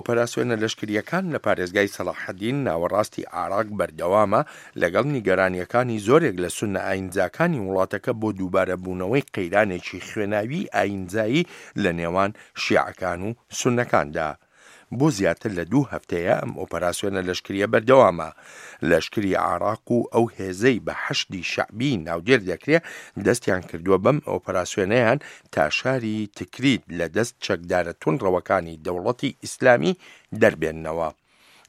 ئۆپەراسیۆنە لەشکرییەکان لە پارێزگای سەڵاحەدین ناوەڕاستی عێراق بەردەوامە، لەگەڵ نیگەرانییەکانی زۆرێک لە سوننە ئایینزاکانی وڵاتەکە بۆ دووبارەبوونەوەی قەیرانێکی خوێناویی ئایینزایی لە نێوان شیعەکان و سوننەکاندا. بۆ زیاتر لە دوو هەفتەیە ئەم ئۆپەراسیۆنە لەشکرییە بەردەوامە. لەشکری عێراق و ئەو هێزەی بە حەشدی شەعبی ناودێر دەکرێ دەستیان کردووە بەم ئۆپەراسیۆنەیان تا شاری تکریت لە دەست چەکدارە توندڕەوەکانی دەوڵەتی ئیسلامی دەربێننەوە.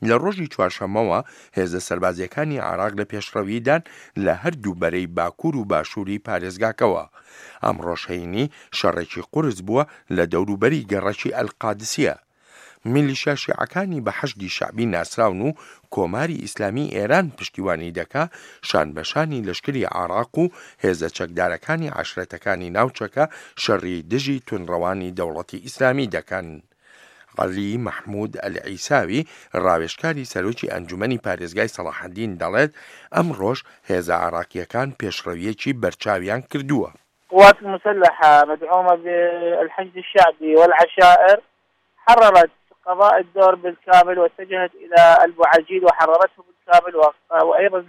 لە ڕۆژی چوارشەممەوە هێزە سەربازییەکانی عێراق لە پێشڕەویدان لە هەردوو بەرەی باکوور و باشووری پارێزگاکەوە. ئەمڕۆش هەینی شەڕێکی قورس بووە لە دەوروبەری گەڕەکی ئەلقادسیە. میلیشیا شیعەکانی بە حەشدی شەعبی ناسراون و کۆماری ئیسلامی ئێران پشتیوانی دەکا، شانبەشانی لەشکری عێراق و هێزە چەکدارەکانی عەشرەتەکانی ناوچەکە شەڕی دژی توندڕەوانی دەوڵەتی ئیسلامی دەکەن. عەلی مەحمود ئەلعیساوی، ڕاوێژکاری سەرۆکی ئەنجومەنی پارێزگای سەڵاحەدین دەڵێت، ئەمڕۆش هێزە عێراقییەکان پێشڕەوییەکی بەرچاویان کردووە. القوات المسلحة مدعومة بالحشد الشعبي والعشائر حررت قضاء الدور بالكامل واتجهت إلى البوعجيل وحررته بالكامل وأيضا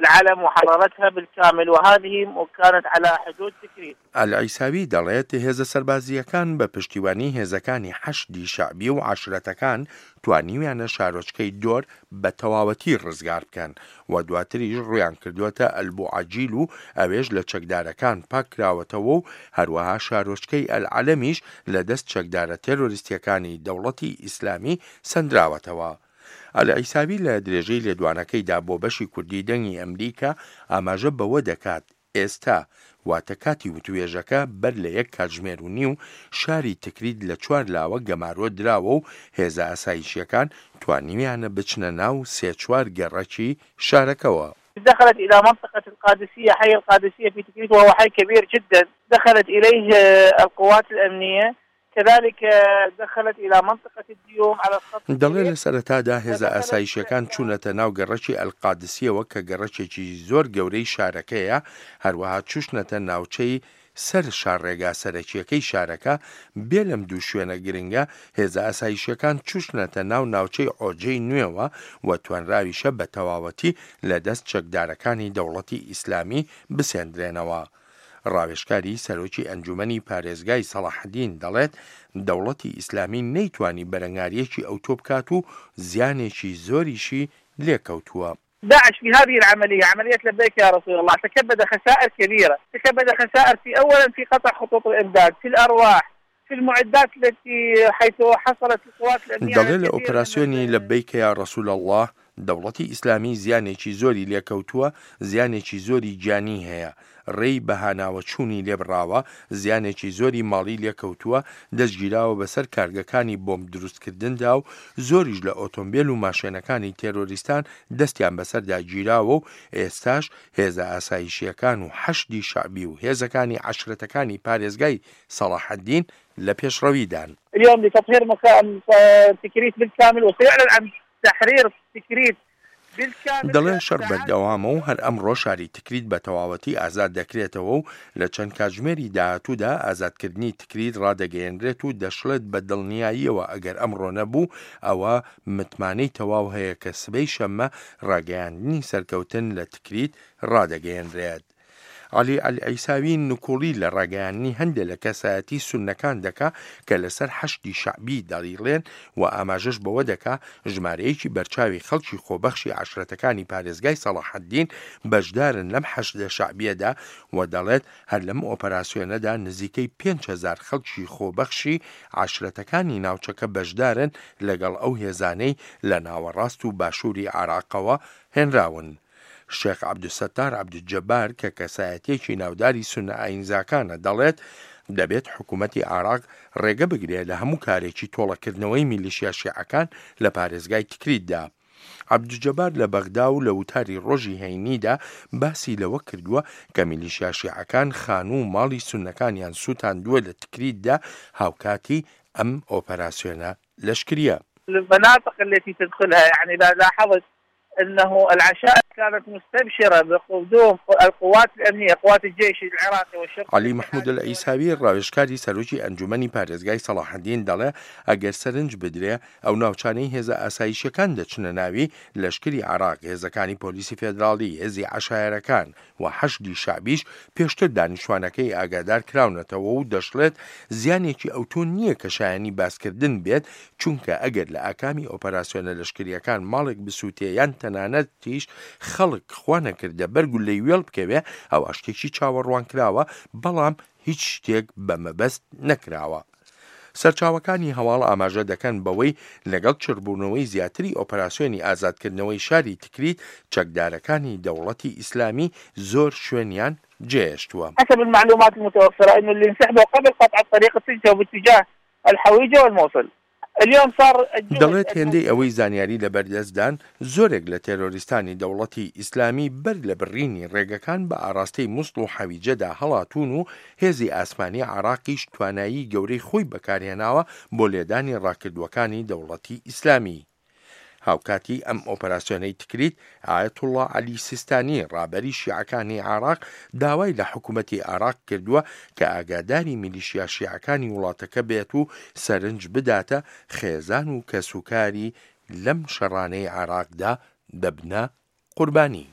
العلم وحررتها بالكامل وهذه كانت على حدود تكريت. ئەلعیساوی دەڵێت، هێزە سەربازییەکان بە پشتیوانی هێزەکانی حەشدی شەعبی و عەشرەتەکان توانیویانە شارۆچکەی دۆر بە تەواوەتی ڕزگار بکەن و دواتریش ڕوویان کردووەتە ئەلبوعەجیل و ئەوێش لە چەکدارەکان پاککراوەتەوە و هەروەها شارۆچکەی ئەلعەلەمیش لە دەست چەکدارە تێرۆریستییەکانی دەوڵەتی ئیسلامی سەندراوەتەوە. ئەلعیساوی لە درێژەی لێدوانەکەیدا بۆ بەشی کوردی دەنگی ئەمریکا ئاماژە بەوە دەکات، ئێستا، واتە کاتی وتوێژەکە بەر لە یەک کاتژمێر و نیو، شاری تکریت لە چوار لاوە گەمارۆ دراوە و هێزە ئاسایشییەکان توانیویانە بچنە ناو سێ چوار گەڕەکی شارەکەوە. دخلت الى منطقة القادسية حي القادسية في تكريت وهو حي كبير جدا دخلت اليه القوات الامنية كذلك دخلت الى منطقة الديوم على الخط دەڵێ لە سەرەتادا هێزە ئاسایشیەکان چوونەتە ناو گەڕەکی ئەلقادسیەوە کە گەڕەکێکی زۆر گەورەی شارەکەیە، هەروەها چووشنەتە ناوچەی سەر شاڕێگا سەرەکیەکەی شارەکە، بێ لەم دوو شوێنە گرنگە هێزە ئاسایشیەکان چووشنەتە ناو ناوچەی عۆجەی نوێوە و توانراویشە بە تەواوەتی لە دەست چەکدارەکانی دەوڵەتی ئیسلامی بسێندرێنەوە. ڕاوێژکاری سەرۆکی ئەنجومەنی پارێزگای سەڵاحەدین دەڵێت، دەوڵەتی ئیسلامی نەیتوانی بەرەنگارییەکی ئەوتۆ بکات و زیانێکی زۆریشی لێکەوتووە. داعش في هذه العملية عملية لبيك يا رسول الله تكبد خسائر كبيرة تكبد خسائر في أولا في قطع خطوط الإمداد في الأرواح في المعدات التي حيث حصلت القوات الأمنية دەڵێ لە ئۆپراسیۆنی لبیک یا رسول اللە دەوڵەتی ئیسلامی زیانێکی زۆری لێکەوتووە، زیانێکی زۆری گیانی هەیە، ڕێی بەهاناوەچوونی لێبڕاوە، زیانێکی زۆری ماڵی لێکەوتووە، دەستگیراوە بەسەر کارگەکانی بۆمب دروستکردندا و زۆریش لە ئۆتۆمبێل و ماشێنەکانی تێرۆریستان دەستیان بەسەردا گیراوە و ئێستاش هێزە ئاسایشییەکان و حەشدی شەعبی و هێزەکانی عەشرەتەکانی پارێزگای سەڵاحەدین لە پێشڕەویدان. اليوم لتطهير تكريت بالكامل وسيعلن عن تحرير تكريت بالكامل دەڵێن شەڕ بەردەوامە و هەر ئەمڕۆ شاری تکریت بە تەواوەتی ئازاد دەکرێتەوە و لە چەند کاتژمێری داهاتوودا ئازادکردنی تکریت ڕادەگەیەنرێت و دەشڵێت بە دڵنیاییەوە ئەگەر ئەمڕۆ نەبوو ئەوا متمانەی تەواو هەیە کە سبەی شەممە ڕاگەیاندنی سەرکەوتن لە تکریت ڕادەگەیەنرێت. عەلی ئەلعیساوی نکوڵی لە ڕاگەیاندنی هەندێ لە کەسایەتی سوننەکان دەکا کە لەسەر حەشدی شەعبی دەڵیڵێن و ئاماژەش بەوە دەکا ژمارەیەکی بەرچاوی خەڵکی خۆبەخشی عەشرەتەکانی پارێزگای سەڵاحەدین بەشدارن لەم حەشدە شەعبیەدا و دەڵێت هەر لەم ئۆپەراسیۆنەدا نزیکەی 5000 خەڵکی خۆبەخشی عەشرەتەکانی ناوچەکە بەشدارن لەگەڵ ئەو هێزانەی لە ناوەڕاست و باشووری عێراقەوە هێنراون. شێخ عەبدولستار عەبدولجەبار کە کەسایەتییەکی ناوداری سوننە ئایینزاکانە دەڵێت، دەبێت حکوومەتی عێراق ڕێگە بگرێ لە هەموو کارێکی تۆڵەکردنەوەی میلیشیا شیعەکان لە پارێزگای تکریتدا. عەبدولجەبار لە بەغدا و لە وتاری ڕۆژی هەینیدا باسی لەوە کردووە کە میلیشیا شیعەکان خانوو و ماڵی سوننەکانیان سووتاندووە لە تکریتدا هاوکاتی ئەم ئۆپەراسیۆنە لەشکرییە. المناطق التي تدخلها يعني اذا لاحظت. انه العشائر كانت مستبشرة بقدوم القوات الأمنية قوات الجيش العراقي والشرطة عەلی مەحمود ئەلعیساوی ڕاوێژکاری سەرۆکی ئەنجومەنی پارێزگای سەڵاحەدین دەڵێ ئەگەر سەرنج بدرێ ئەو ناوچانەی هێزە ئاسایشیەکان دەچنە ناوی، لەشکری عێراق، هێزەکانی پۆلیسی فێدراڵی، هێزی عەشایەرەکان و حەشدی شەعبیش پێشتر دانیشتوانەکەی ئاگادار کراونەتەوە و دەشڵێت زیانێکی ئەوتۆ نییە کە شایانی باسکردن بێت چونکە ئەگەر لە ئاکامی ئۆپەراسیۆنە لەشکرییەکان ماڵێک بسووتێ یان تەنانەتیش خەڵک خوانەکردە بەر گوللەی وێڵ بکەوێ ئەوا شتێکی چاوەڕوانکراوە بەڵام هیچ شتێک بە مەبەست نەکراوە. سەرچاوەکانی هەواڵ ئاماژە دەکەن بەوەی لەگەڵ چڕبوونەوەی زیاتری ئۆپەراسیۆنی ئازادکردنەوەی شاری تکریت، چەکدارەکانی دەوڵەتی ئیسلامی زۆر شوێنیان جێهێشتووە. حسب المعلومات المتوفرة انه اللي انسحبوا قبل قطع الطريق اتجهوا باتجاه الحويجة والموصل اليوم صار الجهد دەڵێت هێندەی ئەوەی زانیاری لەبەردەستدان، زۆرێک لە تێرۆریستانی دەوڵەتی ئیسلامی بەر لە بڕینی ڕێگەکان بە ئاڕاستەی موسڵ و حەویجەدا هەڵاتوون و هێزی ئاسمانی عێراقیش توانایی گەورەی خۆی بەکارهێناوە بۆ لێدانی ڕاکردووەکانی دەوڵەتی ئیسلامی. هاوکاتی ئەم ئۆپەراسیۆنەی تکریت، ئایەتوڵڵا عەلی سیستانی ڕابەری شیعەکانی عێراق داوای لە حکومەتی عێراق کردووە کە ئاگاداری میلیشیا شیعەکانی وڵاتەکە بێت و سەرنج بداتە خێزان و کەسوکاری لەم شەڕانەی عێراقدا دەبنە قوربانی.